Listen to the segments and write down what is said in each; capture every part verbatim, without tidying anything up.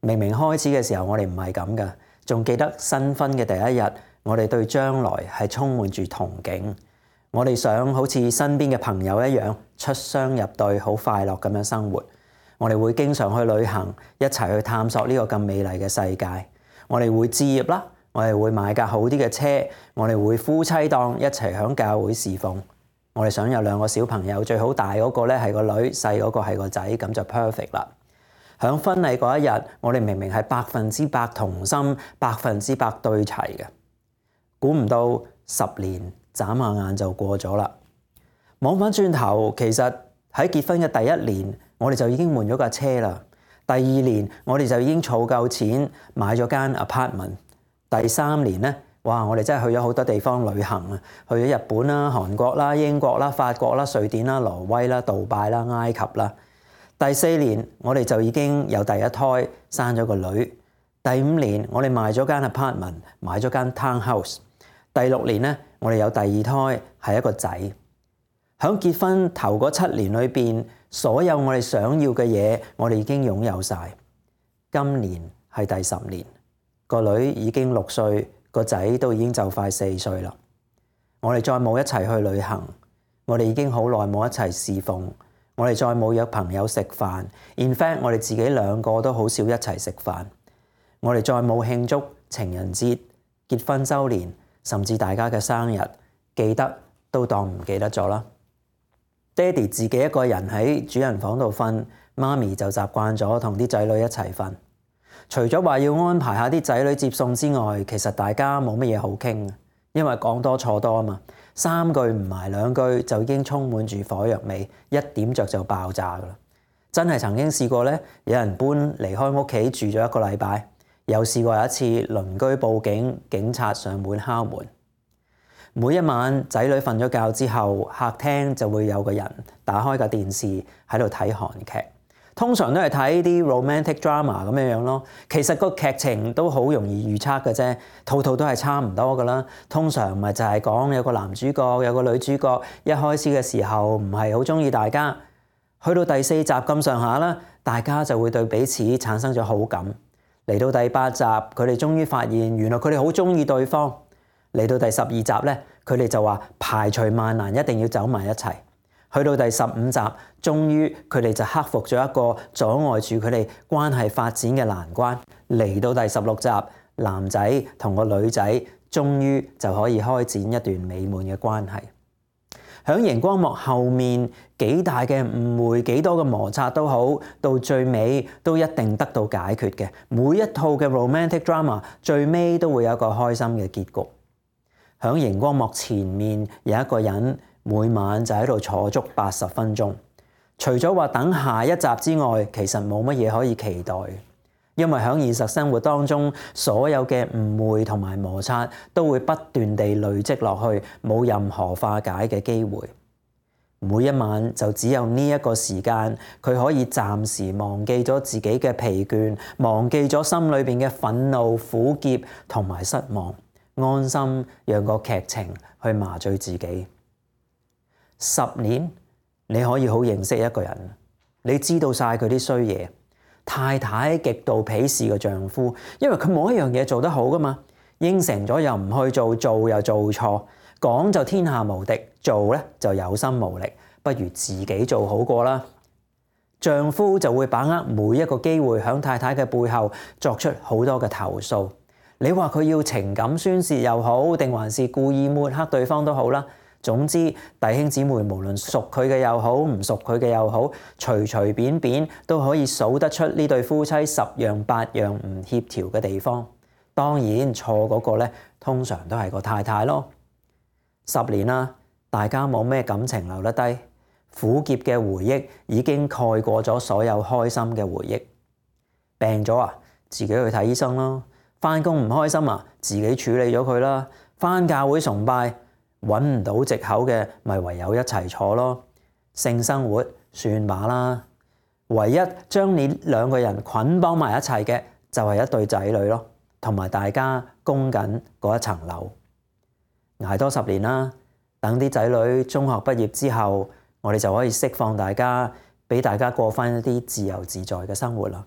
明明開始嘅時候我哋唔係咁噶，仲記得新婚嘅第一日，我哋對將來係充滿住憧憬。我哋想好似身邊嘅朋友一樣出雙入對，好快樂咁樣生活。我哋會經常去旅行，一齊去探索呢個咁美麗嘅世界。我哋會置業啦，我哋會買架好啲嘅車，我哋會夫妻檔一齊響教會侍奉。我哋想有兩個小朋友，最好大嗰個咧係個女，細嗰個係個仔，咁就 perfect 啦。響婚禮嗰一日，我哋明明係百分之百同心，百分之百對齊嘅，估唔到十年眨下眼就過咗啦。望返轉頭，其實喺結婚嘅第一年，我哋就已經換咗架車啦。第二年，我哋就已經儲夠錢買咗間 apartment。第三年咧，哇！我哋真係去咗好多地方旅行啊，去咗日本啦、韓國啦、英國啦、法國啦、瑞典啦、挪威啦、杜拜啦、埃及啦。第四年，我哋就已經有第一胎，生咗個女。第五年，我哋賣咗間 apartment， 買咗間 townhouse。第六年咧，我哋有第二胎，係一個仔。響結婚頭嗰七年裏邊，所有我哋想要嘅嘢，我哋已經擁有晒。今年係第十年，個女已經六歲，個仔都已經就快四歲啦。我哋再冇一齊去旅行，我哋已經好耐冇一齊侍奉，我哋再冇約朋友食飯。In fact，我哋自己兩個都好少一齊食飯。我哋再冇慶祝情人節、結婚週年，甚至大家嘅生日，記得都當唔記得咗啦。爹哋自己一個人喺主人房度瞓，媽咪就習慣咗同啲仔女一齊瞓。除咗話要安排下啲仔女接送之外，其實大家冇乜嘢好傾，因為講多錯多啊嘛。三句唔埋兩句就已經充滿住火藥味，一點着就爆炸噶啦。真係曾經試過咧，有人搬離開屋企住咗一個禮拜，又試過有一次鄰居報警，警察上門敲門。每一晚仔女瞓咗覺之後，客廳就會有個人打開架電視喺度睇韓劇，通常都係睇啲 romantic drama 咁樣樣咯。其實個劇情都好容易預測嘅啫，套套都係差唔多噶啦。通常咪就係講有個男主角有個女主角，一開始嘅時候唔係好中意大家，去到第四集咁上下啦，大家就會對彼此產生咗好感。嚟到第八集，佢哋終於發現原來佢哋好中意對方。嚟到第十二集咧，佢哋就話排除萬難一定要走埋一齊。去到第十五集，終於佢哋就克服咗一個阻礙住佢哋關係發展嘅難關。嚟到第十六集，男仔同個女仔終於就可以開展一段美滿嘅關係。響熒光幕後面，幾大嘅誤會，幾多嘅摩擦都好，到最尾都一定得到解決嘅。每一套嘅 romantic drama 最尾都會有一個開心嘅結局。響熒光幕前面有一個人每晚就喺度坐足八十分鐘，除咗話等下一集之外，其實冇乜嘢可以期待。因為響現實生活當中，所有嘅誤會同埋摩擦都會不斷地累積落去，冇任何化解嘅機會。每一晚就只有呢一個時間，佢可以暫時忘記咗自己嘅疲倦，忘記咗心裏邊嘅憤怒、苦澀同埋失望。安心讓個劇情去麻醉自己。十年你可以好認識一個人，你知道晒佢啲衰嘢。太太極度鄙視個丈夫，因為佢冇一樣嘢做得好噶嘛，應承咗又唔去做，做又做錯，講就天下無敵，做咧就有心無力，不如自己做好過啦。丈夫就會把握每一個機會響太太嘅背後作出好多嘅投訴。你話佢要情感宣泄又好，定還是故意抹黑對方都好啦。總之，弟兄姊妹無論熟佢嘅又好，唔熟佢嘅又好，隨隨便便都可以數得出呢對夫妻十樣八樣唔協調嘅地方。當然錯嗰個咧，通常都係個太太咯。十年啦，大家冇咩感情留得低，苦澀嘅回憶已經蓋過咗所有開心嘅回憶。病咗啊，自己去睇醫生咯。返工唔開心啊，自己處理咗佢啦。返教會崇拜，揾唔到藉口嘅，咪唯有一齊坐咯。性生活算把啦，唯一將你兩個人捆綁埋一齊嘅，就係一對仔女咯，同埋大家供緊嗰一層樓。捱多十年啦，等啲仔女中學畢業之後，我哋就可以釋放大家，俾大家過返一啲自由自在嘅生活啦。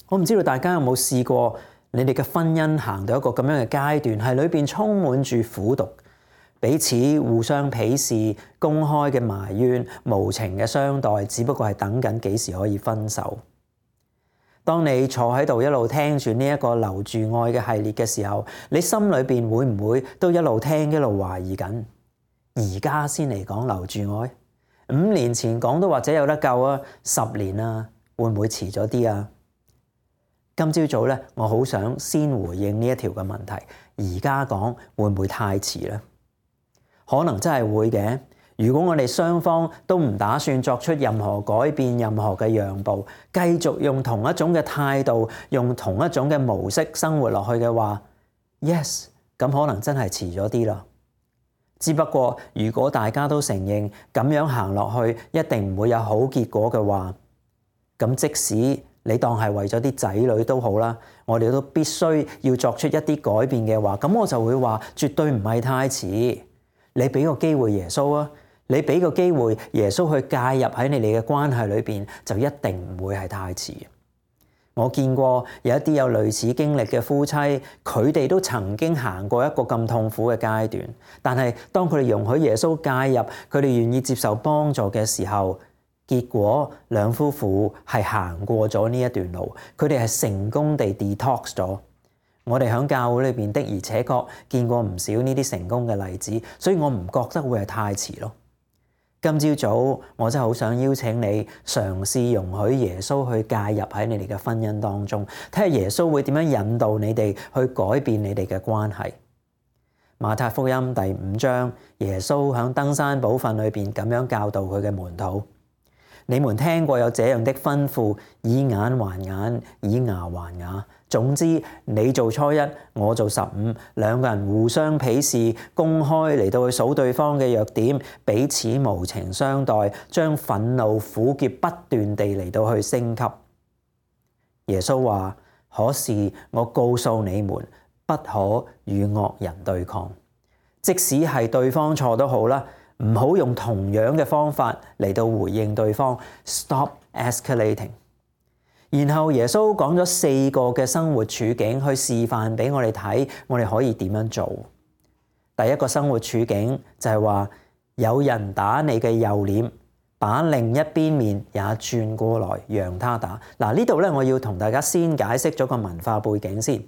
我唔知道大家有冇試過，你哋嘅婚姻行到一個咁樣嘅階段，係裏邊充滿住苦毒，彼此互相鄙視，公開嘅埋怨，無情嘅相待，只不過係等緊幾時可以分手。當你坐喺度一路聽住呢一個留住愛嘅系列嘅時候，你心裏邊會唔會都一路聽一路懷疑緊？而家先嚟講留住愛，五年前講都或者有得救啊，十年啊，會唔會遲咗啲啊？今朝早咧，我好想先回應呢一條嘅問題。而家講會唔會太遲咧？可能真係會嘅。如果我哋雙方都唔打算作出任何改變、任何嘅讓步，繼續用同一種嘅態度、用同一種嘅模式生活落去嘅話 ，yes， 咁可能真係遲咗啲啦。只不過如果大家都承認咁樣行落去一定唔會有好結果嘅話，咁即使你當係為咗啲仔女都好啦，我哋都必須要作出一啲改變嘅話，咁我就會話絕對唔係太遲。你俾個機會耶穌啊，你俾個機會耶穌去介入喺你哋嘅關係裏邊，就一定唔會係太遲。我見過有一啲有類似經歷嘅夫妻，佢哋都曾經行過一個咁痛苦嘅階段，但係當佢哋容許耶穌介入，佢哋願意接受幫助嘅時候，結果兩夫婦係行過咗呢一段路，佢哋係成功地 detox 咗。我哋喺教會裏邊的而且確見過唔少呢啲成功嘅例子，所以我唔覺得會係太遲咯。今朝早我真係好想邀請你嘗試容許耶穌去介入喺你哋嘅婚姻當中，睇下耶穌會點樣引導你哋去改變你哋嘅關係。馬太福音第五章，耶穌喺登山寶訓裏邊咁樣教導佢嘅門徒。你們聽過有這樣的吩咐，以眼還眼，以牙還牙。總之，你做初一，我做十五，兩個人互相鄙視，公開嚟到去數對方嘅弱點，彼此無情相待，將憤怒苦澀不斷地嚟到去升級。耶穌話：可是我告訴你們，不可與惡人對抗，即使係對方錯都好啦。唔好用同樣嘅方法嚟到回應對方 ，stop escalating。然後耶穌講咗四個嘅生活處境去示範俾我哋睇，我哋可以點樣做。第一個生活處境就係話，有人打你嘅右臉，把另一邊面也轉過來讓他打。嗱，呢度咧，我要同大家先解釋咗個文化背景先，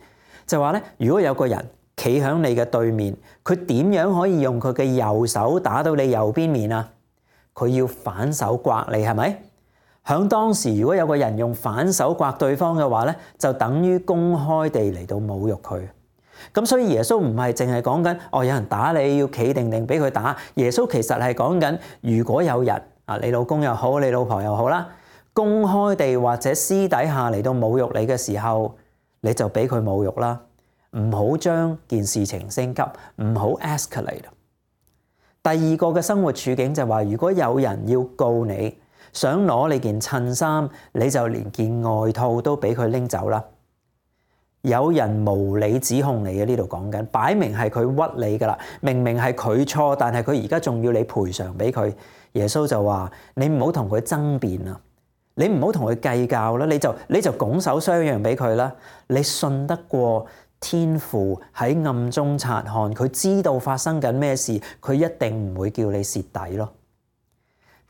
就話咧，如果有個人企喺你嘅對面，佢點樣可以用佢嘅右手打到你右邊面啊？佢要反手刮你，係咪？喺當時，如果有個人用反手刮對方嘅話咧，就等於公開地嚟到侮辱佢。咁所以耶穌唔係淨係講緊哦，有人打你要企定定俾佢打。耶穌其實係講緊，如果有人啊，你老公又好，你老婆又好啦，公開地或者私底下嚟到侮辱你嘅時候，你就俾佢侮辱啦。唔好將件事情升級，唔好 escalate。第二個嘅生活處境就係話，如果有人要告你，想攞你件襯衫，你就連件外套都俾佢拎走啦。有人無理指控你嘅，呢度講緊，擺明係佢屈你噶啦，明明係佢錯，但係佢而家仲要你賠償俾佢。耶穌就話：你唔好同佢爭辯啊，你唔好同佢計較啦，你就你就拱手相讓俾佢啦。你信得過天父喺暗中察看，佢知道發生緊咩事，佢一定唔會叫你蝕底咯。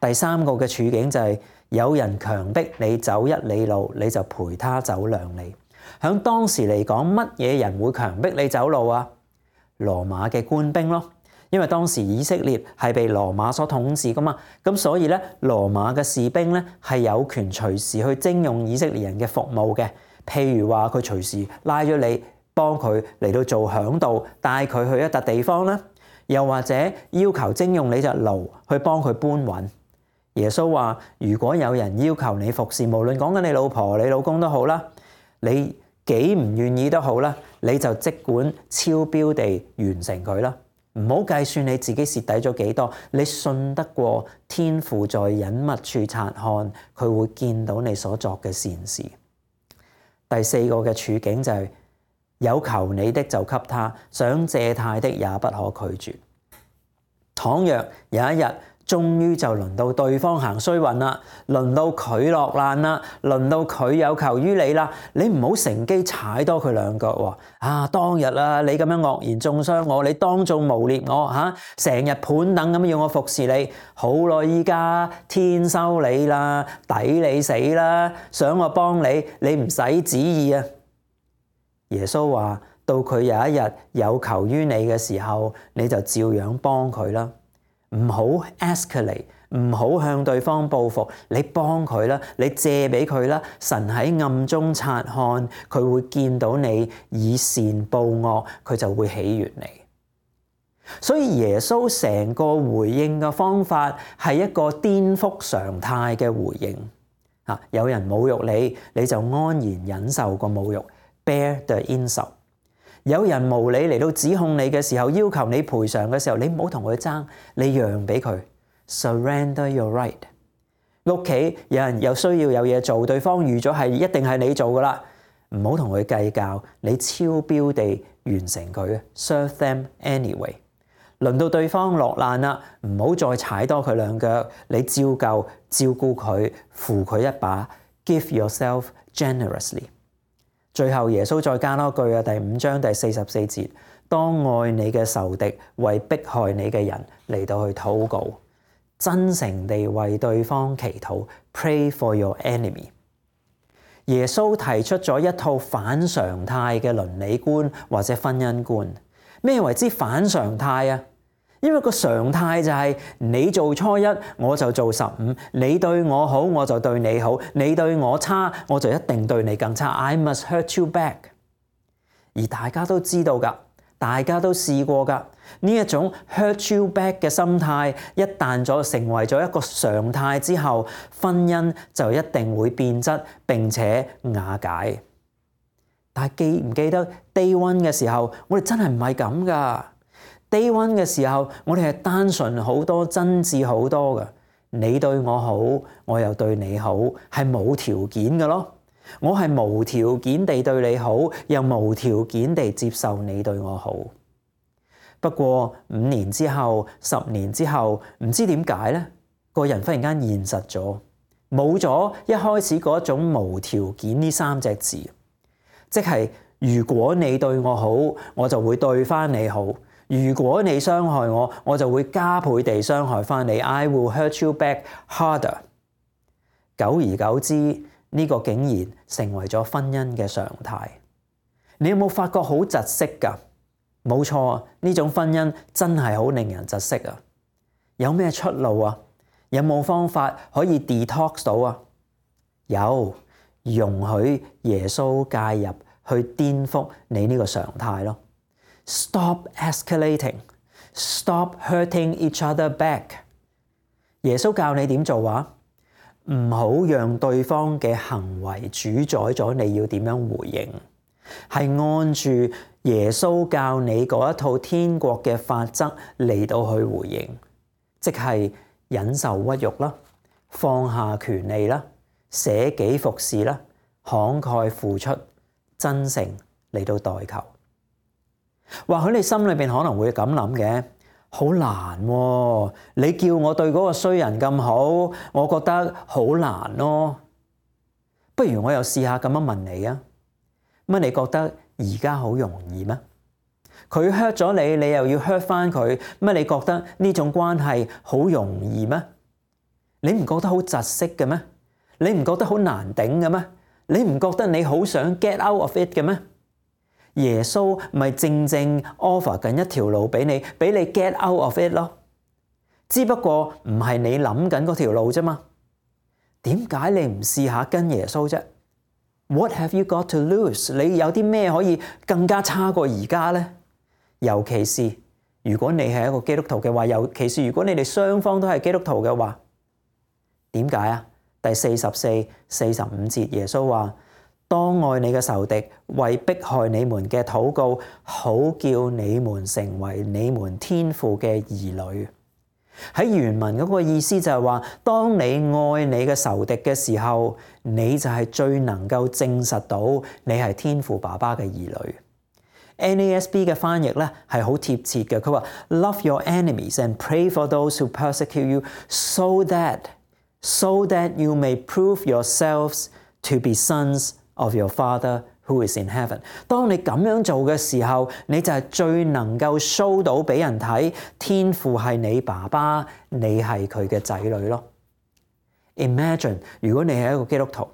第三個嘅處境就係、是、有人強迫你走一里路，你就陪他走兩里。喺當時嚟講，乜嘢人會強迫你走路啊？羅馬嘅官兵咯，因為當時以色列係被羅馬所統治噶嘛，咁所以咧，羅馬嘅士兵咧係有權隨時去徵用以色列人嘅服務嘅。譬如話佢隨時拉咗你，幫佢嚟到做響導，帶佢去一笪地方啦，又或者要求徵用你隻驢去幫佢搬運。耶穌話：如果有人要求你服侍，無論講緊你老婆、你老公都好啦，你幾唔願意都好啦，你就即管超標地完成佢啦。唔好計算你自己蝕底咗幾多，你信得過天父在隱密處察看，佢會見到你所作嘅善事。第四個嘅處境就係、是、有求你的就給他，想借貸的也不可拒絕。倘若有一日終於就輪到對方行衰運啦，輪到佢落難啦，輪到佢有求於你啦，你唔好乘機踩多佢兩腳喎！啊，當日啊，你咁樣惡言中傷我，你當眾誣蔑我嚇，成日盤等咁要我服侍你，好啦，依家天收你啦，抵你死啦！想我幫你，你唔使旨意啊！耶穌話：到佢有一日有求於你嘅時候，你就照樣幫佢啦。唔好 escalate，唔好向對方報復，你幫佢啦，你借俾佢啦。神喺暗中察看，佢會見到你以善報惡，佢就會喜悅你。所以耶穌成個回應嘅方法係一個顛覆常態嘅回應。啊，有人侮辱你，你就安然忍受個侮辱 ，bear the insult。有人無理嚟到指控你嘅時候，要求你賠償嘅時候，你唔好同佢爭，你讓俾佢 ，surrender your right。屋企有人有需要有嘢做，對方預咗係一定係你做噶啦，唔好同佢計較，你超標地完成佢 ，serve them anyway。輪到對方落難啦，唔好再踩多佢兩腳，你照舊照顧佢，扶佢一把 ，give yourself generously。最後耶穌再加多句啊，第五章第四十四節，當愛你嘅仇敵，為迫害你嘅人嚟到去禱告，真誠地為對方祈禱 ，pray for your enemy。耶穌提出咗一套反常態嘅倫理觀或者婚姻觀。咩為之反常態啊？因為個常態就係你做初一，我就做十五；你對我好，我就對你好；你對我差，我就一定對你更差。I must hurt you back。而大家都知道㗎，大家都試過㗎，呢一種 hurt you back 嘅心態，一旦咗成為咗一個常態之後，婚姻就一定會變質並且瓦解。但係記唔記得 day one 嘅時候，我哋真係唔係咁㗎。day one 嘅時候，我哋係單純好多、真摯好多㗎。你對我好，我又對你好，係冇條件嘅咯。我係無條件地對你好，又無條件地接受你對我好。不過五年之後、十年之後，唔知點解咧，個人忽然間現實咗，冇咗一開始嗰種無條件呢三隻字。即係如果你對我好，我就會對翻你好；如果你傷害我，我就會加倍地傷害翻你。I will hurt you back harder。久而久之，呢個竟然成為咗婚姻嘅常態。你有冇發覺好窒息㗎？冇錯，呢種婚姻真係好令人窒息啊！有咩出路啊？有冇方法可以 detox 到啊？有。容許耶穌介入去顛覆你呢個常態咯。Stop escalating, stop hurting each other back。耶穌教你點做話？唔好讓對方嘅行為主宰咗你要點樣回應，係按住耶穌教你嗰一套天國嘅法則嚟到去回應，即係忍受屈辱啦，放下權利啦，捨己服侍啦，慷慨付出，真誠嚟到代求。或許你心裏邊可能會咁諗嘅，好難喎！你叫我對嗰個衰人咁好，我覺得好難咯。不如我又試下咁樣問你啊，乜你覺得而家好容易咩？佢 hurt 咗你，你又要 hurt 翻佢，乜你覺得呢種關係好容易咩？你唔覺得好窒息嘅咩？你唔覺得好難頂嘅咩？你唔覺得你好想 get out of it 嘅咩？耶穌咪正正 offer 緊一條路俾你，俾你 get out of it 咯。只不過唔係你諗緊嗰條路啫嘛。點解你唔試下跟耶穌啫？ What have you got to lose？ 你有啲咩可以更加差過而家咧？尤其是如果你係一個基督徒嘅話，尤其是如果你哋雙方都係基督徒嘅話，點解啊？第四十四、四十五節，耶穌話：當愛你嘅仇敵，為迫害你們嘅禱告，好叫你們成為你們天父嘅兒女。喺原文嗰個意思就係話，當你愛你嘅仇敵嘅時候，你就係最能夠證實到你係天父爸爸嘅兒女。N A S B 嘅翻譯咧係好貼切嘅，佢話 Love your enemies and pray for those who persecute you, so that so that you may prove yourselves to be sons of your Father who is in heaven。當你咁樣做嘅時候，你就係最能夠 show 到俾人睇，天父係你爸爸，你係佢嘅仔女咯。Imagine 如果你係一個基督徒，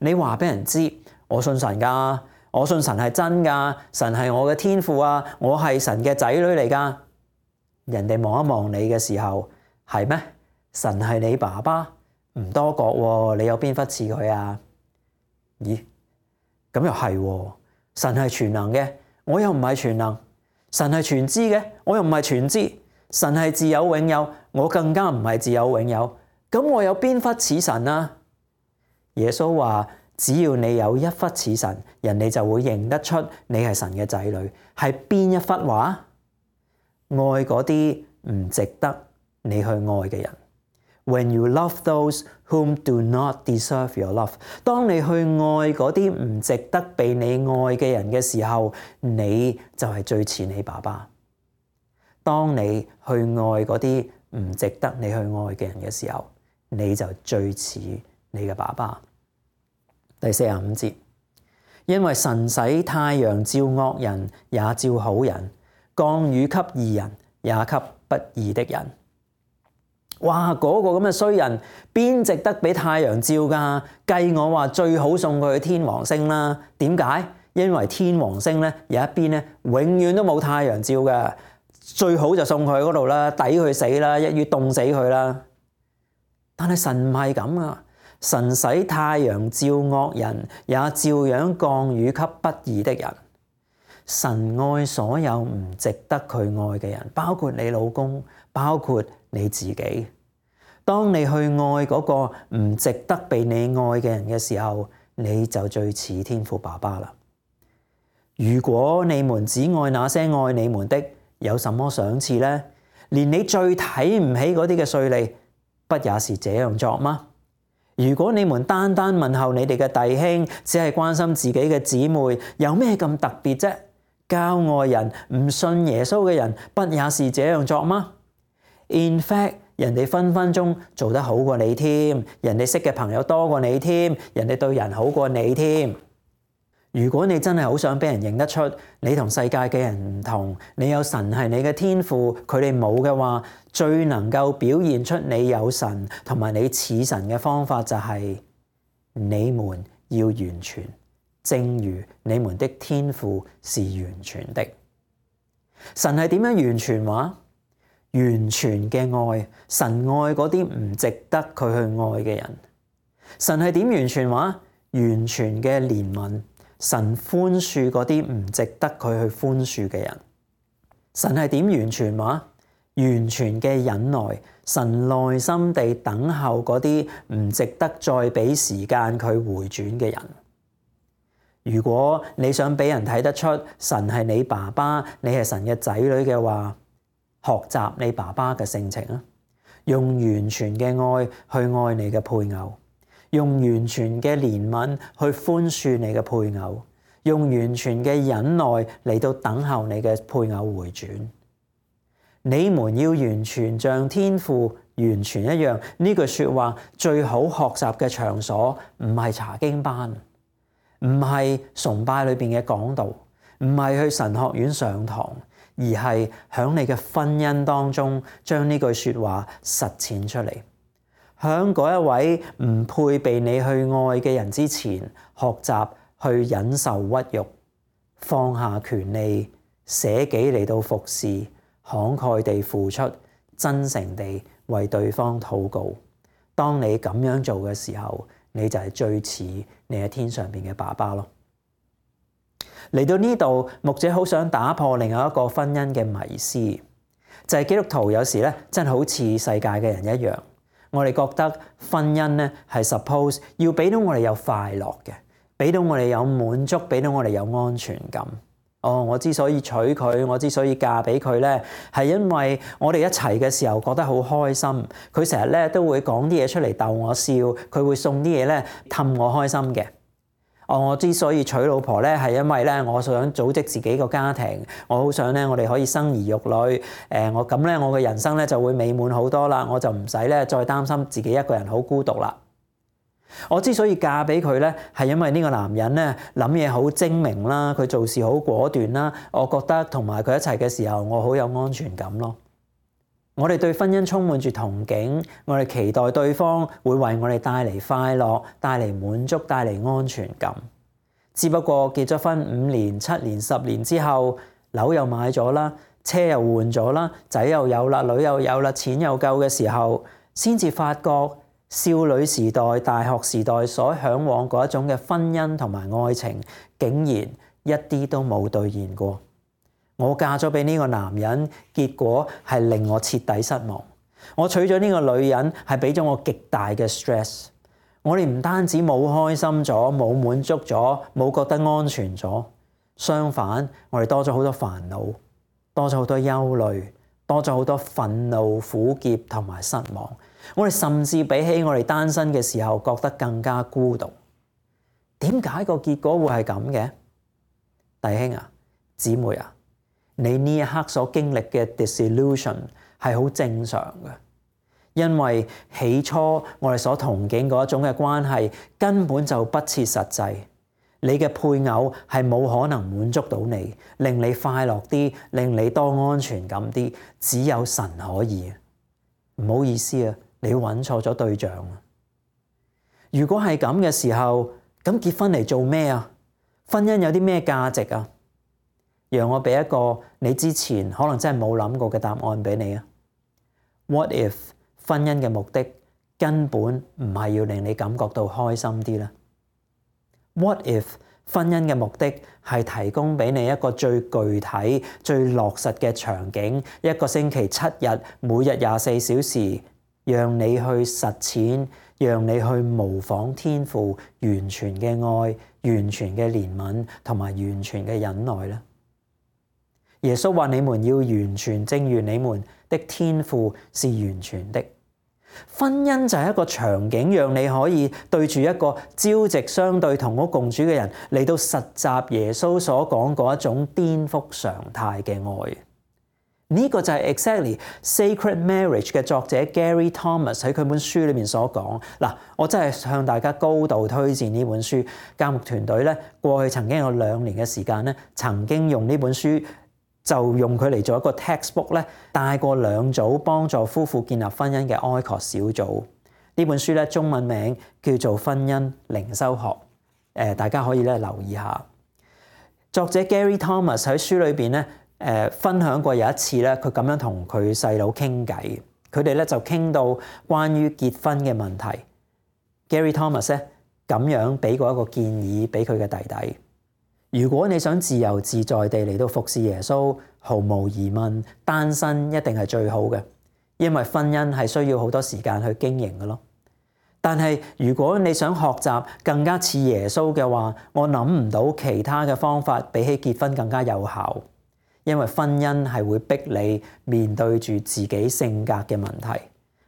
你話俾人知，我信神㗎，我信神係真㗎，神係我嘅天父啊，我係神嘅仔女嚟㗎。人哋望一望你嘅時候，係咩？神係你爸爸，唔多覺喎，你有邊忽似佢啊？咦？咁又係喎，神係全能嘅，我又唔係全能；神係全知嘅，我又唔係全知；神係自有永有，我更加唔係自有永有。咁我有邊忽似神啊？耶穌話：只要你有一忽似神，人哋就會認得出你係神嘅仔女。係邊一忽話？愛嗰啲唔值得你去愛嘅人。When you love those whom do not deserve your love， 當你去愛嗰啲唔值得被你愛嘅人嘅時候，你就係最似你爸爸。當你去愛嗰啲唔值得你去愛嘅人嘅時候，你就最似你嘅爸爸。第四十五節，因為神使太陽照惡人也照好人，降雨給義人也給不義的人。哇！嗰、那個咁嘅衰人，邊值得俾太陽照㗎？計我話最好送佢去天王星啦。點解？因為天王星咧有一邊咧永遠都冇太陽照嘅，最好就送佢去嗰度啦，抵佢死啦，一於凍死佢啦。但係神唔係咁啊！神使太陽照惡人，也照樣降雨給不義的人。神愛所有唔值得佢愛嘅人，包括你老公，包括你自己。當你去愛嗰個唔值得被你愛嘅人嘅時候，你就最似天父爸爸啦。如果你們只愛那些愛你們的，有什麼賞賜呢？連你最睇唔起嗰啲嘅稅吏，不也是這樣作嗎？如果你們單單問候你哋嘅弟兄，只係關心自己嘅姊妹，有咩咁特別啫？教外人唔信耶穌嘅人，不也是這樣作嗎？ In fact， 人哋分分鐘做得好過你添，人哋識嘅朋友多過你添，人哋對人好過你添。如果你真係好想俾人認得出你同世界嘅人唔同，你有神係你嘅天父，佢哋冇嘅話，最能夠表現出你有神同埋你似神嘅方法就係你們要完全，正如你們的天父是完全的。神係點樣完全話？完全嘅愛，神愛嗰啲唔值得佢去愛嘅人。神係點完全話？完全嘅憐憫，神寬恕嗰啲唔值得佢去寬恕嘅人。神係點完全話？完全嘅忍耐，神耐心地等候嗰啲唔值得再俾時間佢回轉嘅人。如果你想俾人睇得出神係你爸爸，你係神嘅仔女嘅話，學習你爸爸嘅性情啊，用完全嘅愛去愛你嘅配偶，用完全嘅憐憫去寬恕你嘅配偶，用完全嘅忍耐嚟到等候你嘅配偶回轉。你們要完全像天父完全一樣。呢句說話最好學習嘅場所唔係查經班，唔係崇拜裏邊嘅講道，唔係去神學院上堂，而係喺你嘅婚姻當中將呢句說話實踐出嚟。喺嗰一位唔配被你去愛嘅人之前，學習去忍受屈辱，放下權利，捨己嚟到服侍，慷慨地付出，真誠地為對方禱告。當你咁樣做嘅時候，你就係最似你喺天上邊嘅爸爸咯。嚟到呢度，牧者好想打破另外一個婚姻嘅迷思，就係基督徒有時咧真係好似世界嘅人一樣，我哋覺得婚姻咧係 suppose 要俾到我哋有快樂嘅，俾到我哋有滿足，俾到我哋有安全感。哦，我之所以娶佢，我之所以嫁俾佢咧，係因為我哋一齊嘅時候覺得好開心。佢成日咧都會講啲嘢出嚟逗我笑，佢會送啲嘢咧氹我開心嘅。哦，我之所以娶老婆咧，係因為咧，我想組織自己個家庭，我好想咧，我哋可以生兒育女。誒，我咁咧，我嘅人生咧就會美滿好多啦，我就唔使咧再擔心自己一個人好孤獨啦。我之所以嫁俾佢咧，係因為呢個男人咧諗嘢好精明啦，佢做事好果斷啦，我覺得同埋佢一齊嘅時候，我好有安全感咯。我哋對婚姻充滿住憧憬，我哋期待對方會為我哋帶嚟快樂、帶嚟滿足、帶嚟安全感。只不過結咗婚五年、七年、十年之後，樓又買咗啦，車又換咗啦，仔又有啦，女又有啦，錢又夠嘅時候，先至發覺少女時代、大學時代所嚮往嗰一種嘅婚姻同埋愛情，竟然一啲都冇兌現過。我嫁咗俾呢個男人，結果係令我徹底失望。我娶咗呢個女人，係俾咗我極大嘅 stress。我哋唔單止冇開心咗，冇滿足咗，冇覺得安全咗，相反，我哋多咗好多煩惱，多咗好多憂慮，多咗好多憤怒、苦澀同埋失望。我哋甚至比起我哋單身嘅時候，覺得更加孤獨。點解個結果會係咁嘅？弟兄啊，姊妹啊，你呢一刻所經歷嘅 disillusion 係好正常嘅，因為起初我哋所憧憬嗰一種嘅關係根本就不切實際。你嘅配偶係冇可能滿足到你，令你快樂啲，令你多安全感啲，只有神可以。唔好意思啊，你揾錯咗對象啊！如果係咁嘅時候，咁結婚嚟做咩啊？婚姻有啲咩價值啊？讓我俾一個你之前可能真係冇諗過嘅答案俾你啊。What if 婚姻嘅目的根本唔係要令你感覺到開心啲咧？ What if 婚姻嘅目的係提供俾你一個最具體、最落實嘅場景，一個星期七日，每日廿四小時，讓你去實踐，讓你去模仿天父完全嘅愛、完全嘅憐憫同埋完全嘅忍耐咧？耶穌話：你們要完全，正如你們的天父是完全的。婚姻就係一個場景，讓你可以對住一個朝夕相對、同屋共處嘅人嚟到實習耶穌所講嗰一種顛覆常態嘅愛。呢個就係 exactly Sacred Marriage 嘅作者 Gary Thomas 喺佢本書裏面所講。嗱，我真係向大家高度推薦呢本書。教牧團隊咧，過去曾經有兩年嘅時間咧，曾經用呢本書。就用佢嚟做一個 textbook 咧，帶過兩組幫助夫婦建立婚姻嘅 I C O S 小組。呢本書咧，中文名叫做《婚姻靈修學》，誒大家可以咧留意下。作者 Gary Thomas 喺書裏邊咧，誒分享過有一次咧，佢咁樣同佢細佬傾偈，佢哋咧就傾到關於結婚嘅問題。Gary Thomas 咧咁樣俾過一個建議俾佢嘅弟弟。如果你想自由自在地嚟到服侍耶穌，毫無疑問，單身一定係最好嘅，因為婚姻係需要好多時間去經營嘅咯。但係如果你想學習更加似耶穌嘅話，我諗唔到其他嘅方法比起結婚更加有效，因為婚姻係會逼你面對住自己性格嘅問題，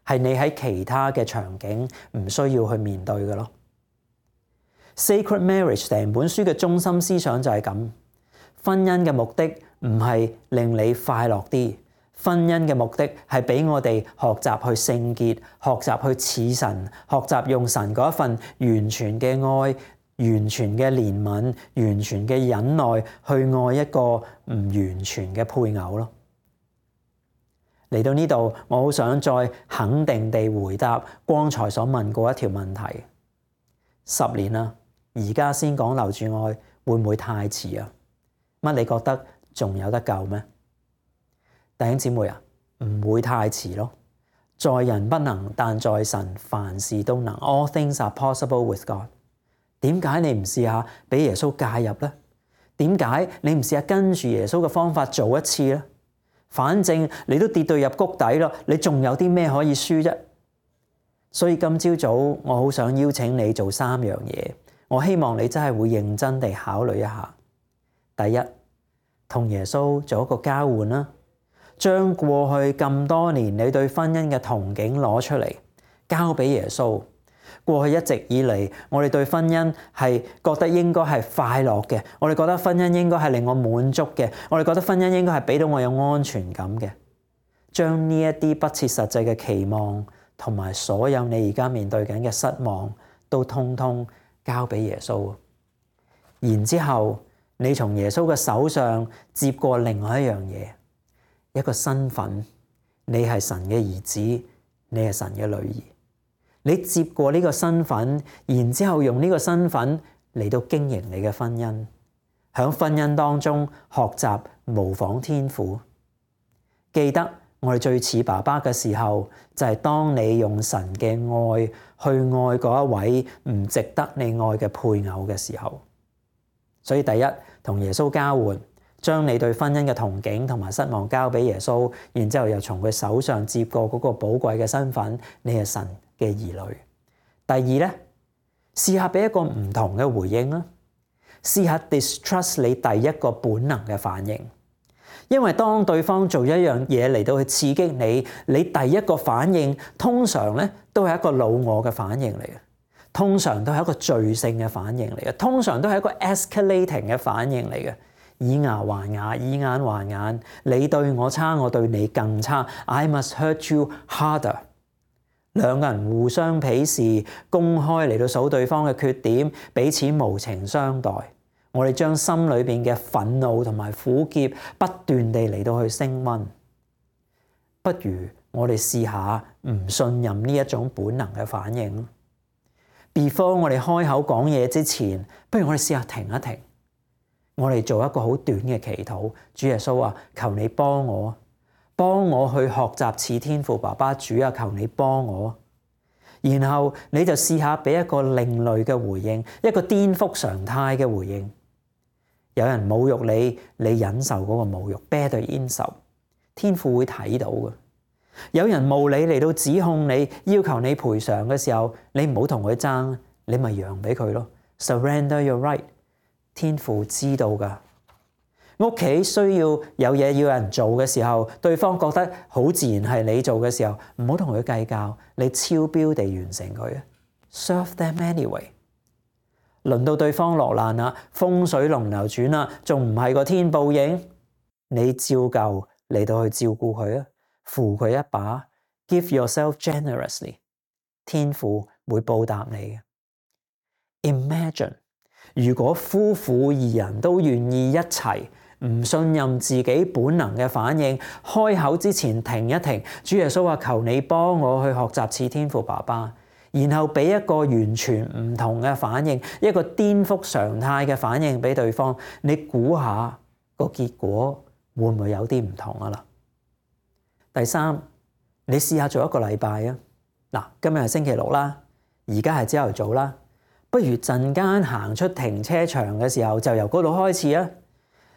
係你喺其他嘅場景唔需要去面對嘅咯。Sacred Marriage 成本書嘅中心思想就係咁，婚姻嘅目的唔係令你快樂啲，婚姻嘅目的係俾我哋學習去聖潔，學習去似神，學習用神嗰一份完全嘅愛、完全嘅憐憫、完全嘅忍耐去愛一個唔完全嘅配偶咯。嚟到呢度，我好想再肯定地回答剛才所問過一條問題：十年啦。而家先講留住愛，會唔會太遲啊？乜你覺得仲有得救咩？弟兄姊妹啊，唔會太遲咯。在人不能，但在神凡事都能。All things are possible with God。點解你唔試下俾耶穌介入咧？點解你唔試下跟住耶穌嘅方法做一次咧？反正你都跌到入谷底咯，你仲有啲咩可以輸啫？所以今朝早我好想邀請你做三樣嘢。我希望你真係會認真地考慮一下。第一，同耶穌做一個交換啦，將過去咁多年你對婚姻嘅憧憬攞出嚟，交俾耶穌，過去一直以嚟，我哋對婚姻係覺得應該係快樂嘅，我哋覺得婚姻應該係令我滿足嘅，我哋覺得婚姻應該係俾到我有安全感嘅。將呢一啲不切實際嘅期望同埋所有你而家面對緊嘅失望，都通通交俾耶穌。然之後，你從耶穌嘅手上接過另外一樣嘢，一個身份，你係神嘅兒子，你係神嘅女兒。你接過呢個身份，然之後用呢個身份嚟到經營你嘅婚姻，喺婚姻當中學習模仿天父。記得我哋最似爸爸嘅時候，就係當你用神嘅愛去愛嗰一位唔值得你愛嘅配偶嘅時候。所以第一，同耶穌交換，將你對婚姻嘅憧憬同埋失望交俾耶穌，然之後又從佢手上接過嗰個寶貴嘅身份，你係神嘅兒女。第二咧，試下俾一個唔同嘅回應啦，試下 distrust 你第一個本能嘅反應，因為當對方做一樣嘢嚟到去刺激你，你第一個反應通常咧都係一個老我嘅反應嚟嘅。通常都係一個罪性嘅反應嚟嘅，通常都係一個 escalating 嘅反應嚟嘅，以牙還牙，以眼還眼，你對我差，我對你更差。I must hurt you harder。兩個人互相鄙視，公開嚟到數對方嘅缺點，彼此無情相待。我哋將心裏邊嘅憤怒同埋苦澀不斷地嚟到去升溫。不如我哋試下唔信任呢一種本能嘅反應。Before 我哋開口講嘢之前，不如我哋試下停一停，我哋做一個好短嘅祈禱。主耶穌啊，求你幫我，幫我去學習似天父爸爸。主啊，求你幫我。然後你就試下俾一個另類嘅回應，一個顛覆常態嘅回應。有人侮辱你，你忍受嗰個侮辱 ，bear 應受，天父會睇到嘅。有人冒你嚟到指控你，要求你賠償嘅時候，你唔好同佢爭，你咪讓俾佢咯。Surrender your right， 天父知道噶。屋企需要有嘢要有人做嘅時候，對方覺得好自然係你做嘅時候，唔好同佢計較，你超標地完成佢啊。Serve them anyway。輪到對方落難啦，風水輪流轉啦，仲唔係個天報應？你照舊嚟到去照顧佢啊。扶佢一把 ，give yourself generously， 天父會報答你嘅。Imagine 如果夫婦二人都願意一齊，唔信任自己本能嘅反應，開口之前停一停，主耶穌話求你幫我去學習似天父爸爸，然後俾一個完全唔同嘅反應，一個顛覆常態嘅反應俾對方，你估下個結果會唔會有啲唔同啊啦？第三，你試下做一個禮拜啊！嗱，今日係星期六啦，而家係朝頭早啦，不如陣間行出停車場嘅時候就由嗰度開始啊！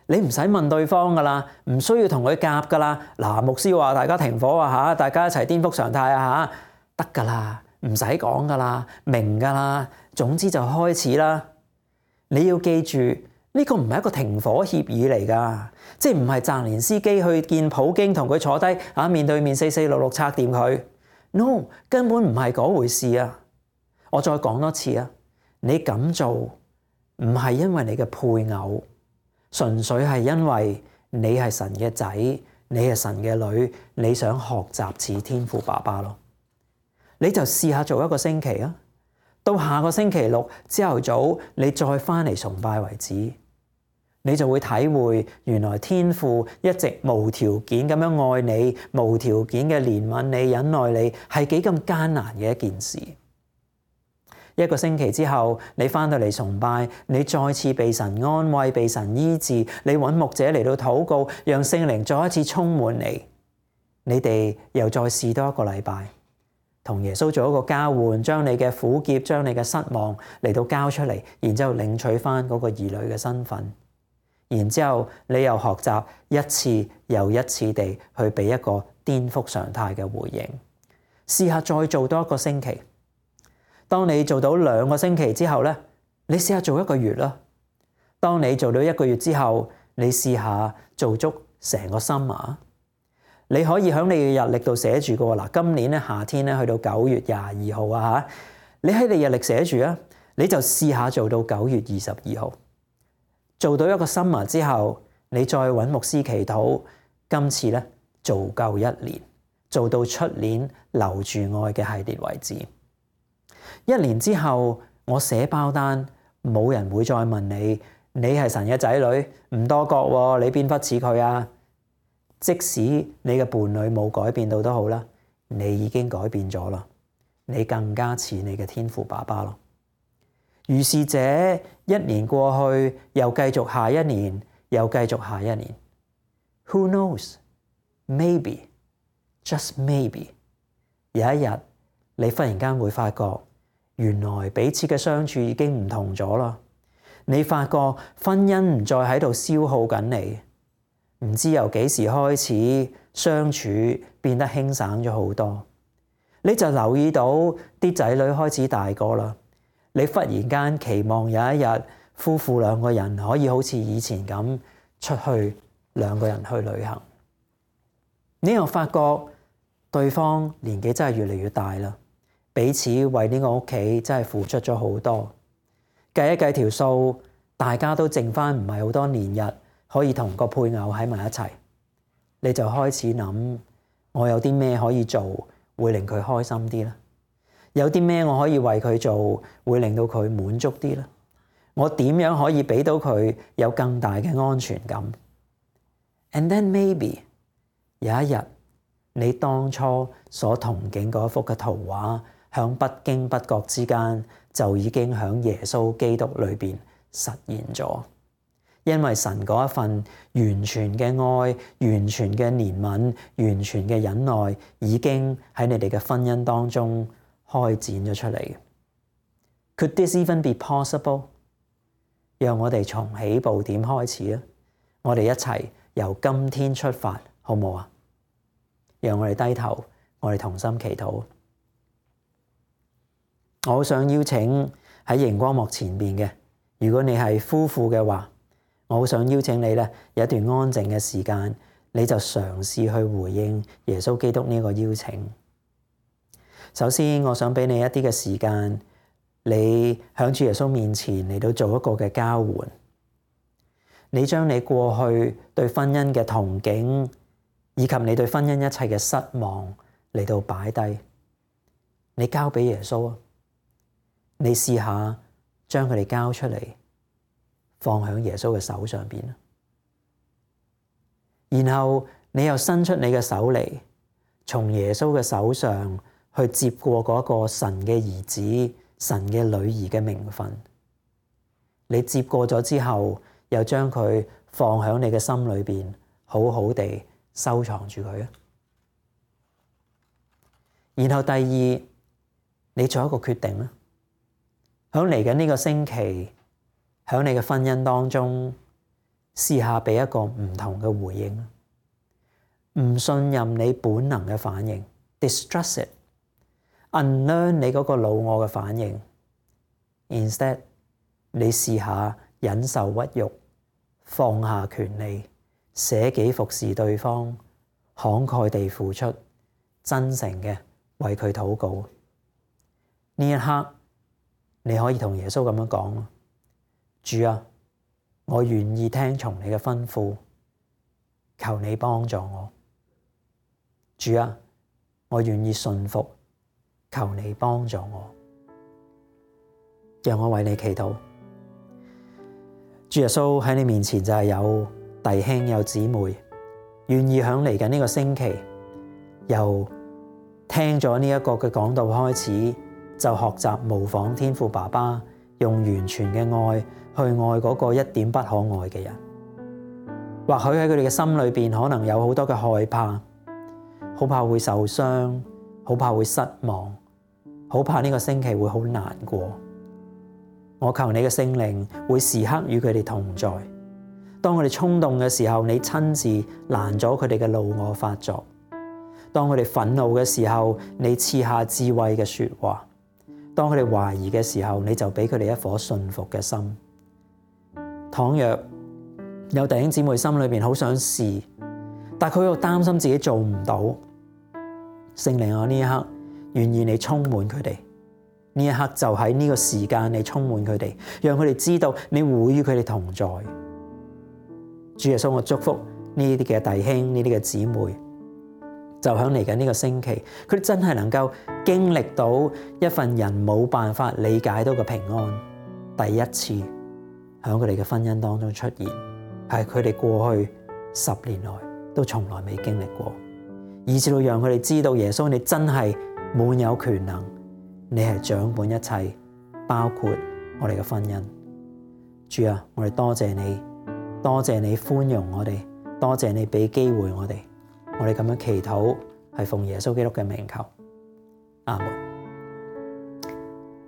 你唔使問對方噶啦，唔需要同佢夾噶啦。嗱，牧師話大家停火啊嚇，大家一齊顛覆常態啊嚇，得噶啦，唔使講噶啦，明噶啦，總之就開始啦。你要記住，呢個唔係一個停火協議嚟㗎，即係唔係澤連斯基去見普京同佢坐低啊，面對面四四六六拆掂佢。No， 根本唔係嗰回事啊！我再講多次啊，你咁做唔係因為你嘅配偶，純粹係因為你係神嘅仔，你係神嘅女，你想學習似天父爸爸咯。你就試下做一個星期啊！到下個星期六朝頭早，你再翻嚟崇拜為止，你就會體會原來天父一直無條件咁樣愛你，無條件嘅憐憫你、忍耐你，係幾咁艱難嘅一件事。一個星期之後，你翻到嚟崇拜，你再次被神安慰、被神醫治，你揾牧者嚟到禱告，讓聖靈再一次充滿你。你哋又再試多一個禮拜。同耶穌做一個交換，將你嘅苦澀、將你嘅失望嚟到交出嚟，然之後領取翻嗰個兒女嘅身份，然之後你又學習一次又一次地去俾一個顛覆常態嘅回應。試下再做多一個星期，當你做到兩個星期之後咧，你試下做一個月啦。當你做到一個月之後，你試下做足成個 summer。你可以喺你嘅日曆度寫住嘅喎，嗱，今年咧夏天咧去到九月廿二號啊嚇，你喺你日曆寫住啊，你就試下做到九月二十二號，做到一個 summer 之後，你再揾牧師祈禱，今次咧做夠一年，做到出年留住愛嘅系列為止。一年之後，我寫包單，冇人會再問你，你係神嘅仔女，唔多覺喎，你邊忽似佢啊？即使你嘅伴侶冇改變到都好啦，你已經改變咗啦，你更加似你嘅天父爸爸咯。如是者，一年過去，又繼續下一年，又繼續下一年。Who knows? Maybe, just maybe， 有一日你忽然間會發覺，原來彼此嘅相處已經唔同咗啦。你發覺婚姻唔再喺度消耗緊你。唔知由幾時開始相處變得輕省咗好多，你就留意到啲仔女開始大個啦。你忽然間期望有一日夫婦兩個人可以好似以前咁出去兩個人去旅行。你又發覺對方年紀真係越嚟越大啦，彼此為呢個屋企真係付出咗好多。計一計條數，大家都剩翻唔係好多年日可以同個配偶喺埋一齊，你就開始諗，我有啲咩可以做會令佢開心啲咧？有啲咩我可以為佢做會令到佢滿足啲咧？我點樣可以俾到佢有更大嘅安全感？ And then maybe 有一日，你當初所憧憬嗰幅嘅圖畫，響不經不覺之間就已經響耶穌基督裏邊實現咗。因為神嗰一份完全嘅愛、完全嘅憐憫、完全嘅忍耐，已經喺你哋嘅婚姻當中開展咗出嚟。Could this even be possible？ 讓我哋從起步點開始啊！我哋一齊由今天出發，好唔好啊？讓我哋低頭，我哋同心祈禱。我好想邀請喺熒光幕前邊嘅，如果你係夫婦嘅話，我好想邀請你咧，有一段安靜嘅時間，你就嘗試去回應耶穌基督呢個邀請。首先，我想俾你一啲嘅時間，你響主耶穌面前嚟到做一個嘅交換。你將你過去對婚姻嘅憧憬，以及你對婚姻一切嘅失望嚟到擺低，你交俾耶穌啊！你試下將佢哋交出嚟，放喺耶穌嘅手上邊，然後你又伸出你嘅手嚟，從耶穌嘅手上去接過嗰個神嘅兒子、神嘅女兒嘅名分。你接過咗之後，又將佢放喺你嘅心裏邊，好好地收藏住佢啊！然後第二，你做一個決定啦，喺嚟緊呢個星期，喺你嘅婚姻當中，試下俾一個唔同嘅回應。唔信任你本能嘅反應 ，distrust it，unlearn 你嗰個老我嘅反應。Instead， 你試下忍受屈辱，放下權利，捨己服侍對方，慷慨地付出，真誠嘅為佢禱告。呢一刻，你可以同耶穌咁樣講。主啊，我願意聽從你嘅吩咐，求你幫助我。主啊，我願意順服，求你幫助我。讓我為你祈禱。主耶穌，喺你面前就係有弟兄有姊妹，願意響嚟緊呢個星期，由聽咗呢一個嘅講道開始，就學習模仿天父爸爸，用完全嘅愛去愛嗰個一點不可愛嘅人。或許喺佢哋嘅心裏邊，可能有好多嘅害怕，好怕會受傷，好怕會失望，好怕呢個星期會好難過。我求你嘅聖靈會時刻與佢哋同在。當佢哋衝動嘅時候，你親自攔咗佢哋嘅怒我發作；當佢哋憤怒嘅時候，你賜下智慧嘅說話；當佢哋懷疑嘅時候，你就俾佢哋一顆信服嘅心。倘若有弟兄姊妹心裏邊好想試，但佢又擔心自己做唔到，聖靈，我呢一刻願意你充滿佢哋，呢一刻就喺呢個時間，你充滿佢哋，讓佢哋知道你會與佢哋同在。主耶穌，我祝福呢啲嘅弟兄、呢啲嘅姊妹，就響嚟緊呢個星期，佢哋真係能夠經歷到一份人冇辦法理解到嘅平安，第一次響佢哋嘅婚姻當中出現，係佢哋過去十年來都從來未經歷過，以至到讓佢哋知道耶穌你真係滿有權能，你係掌管一切，包括我哋嘅婚姻。主啊，我哋多謝你，多謝你寬容我哋，多謝你俾機會我哋，我哋咁樣祈禱係奉耶穌基督嘅名求，阿門。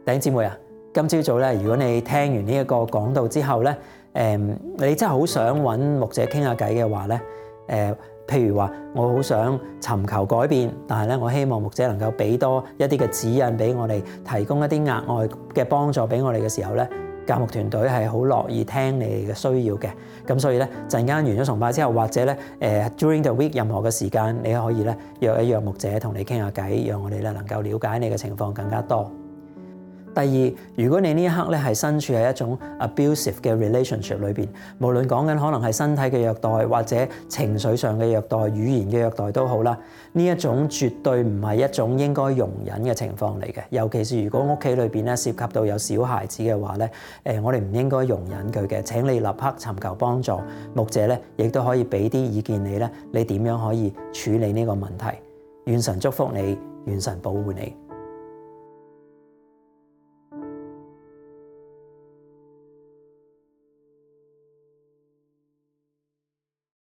弟兄姊妹啊，今朝早咧，如果你聽完呢一個講道之後咧，誒，你真係好想揾牧者傾下偈嘅話咧，誒，譬如話我好想尋求改變，但係咧我希望牧者能夠俾多一啲嘅指引俾我哋，提供一啲額外嘅幫助俾我哋嘅時候咧，教牧團隊係好樂意聽你哋嘅需要嘅。咁所以咧，陣間完咗崇拜之後，或者咧誒 during the week 任何嘅時間，你可以咧約一約牧者同你傾下偈，讓我哋咧能夠了解你嘅情況更加多。第二，如果你呢一刻咧係身處喺一種 abusive 嘅 relationship 裏邊，無論講緊可能係身體嘅虐待，或者情緒上嘅虐待、語言嘅虐待都好啦，呢一種絕對唔係一種應該容忍嘅情況嚟嘅。尤其是如果屋企裏邊咧涉及到有小孩子嘅話咧，誒我哋唔應該容忍佢嘅。請你立刻尋求幫助，牧者咧亦都可以俾啲意見你咧，你點樣可以處理呢個問題？願神祝福你，願神保護你。